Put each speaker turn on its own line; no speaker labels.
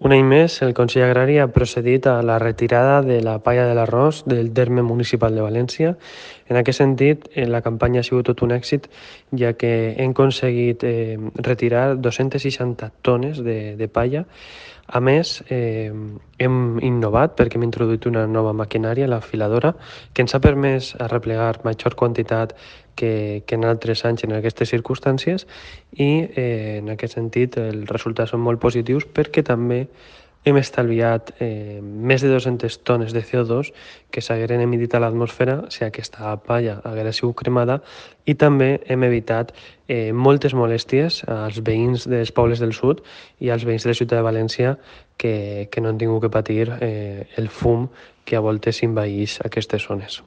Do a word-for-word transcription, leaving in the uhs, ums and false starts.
Un any més, el Consell Agrari ha procedit a la retirada de la palla de l'arròs del terme municipal de València. En aquest sentit, la campanya ha sigut tot un èxit, ja que hem aconseguit eh, retirar dos-centes seixanta tones de, de palla. A més, eh, hem innovat perquè hem introduït una nova maquinària, l'afiladora, que ens ha permès arreplegar major quantitat que, que en altres anys en aquestes circumstàncies i eh, en aquest sentit els resultats són molt positius perquè també hem estalviat eh, més de dues-centes tones de C O dos que s'hagueren emitit a l'atmosfera si aquesta palla hagués sigut cremada, i també hem evitat eh, moltes molèsties als veïns dels pobles del sud i als veïns de la ciutat de València que, que no han tingut que patir eh, el fum que a voltes envaeix aquestes zones.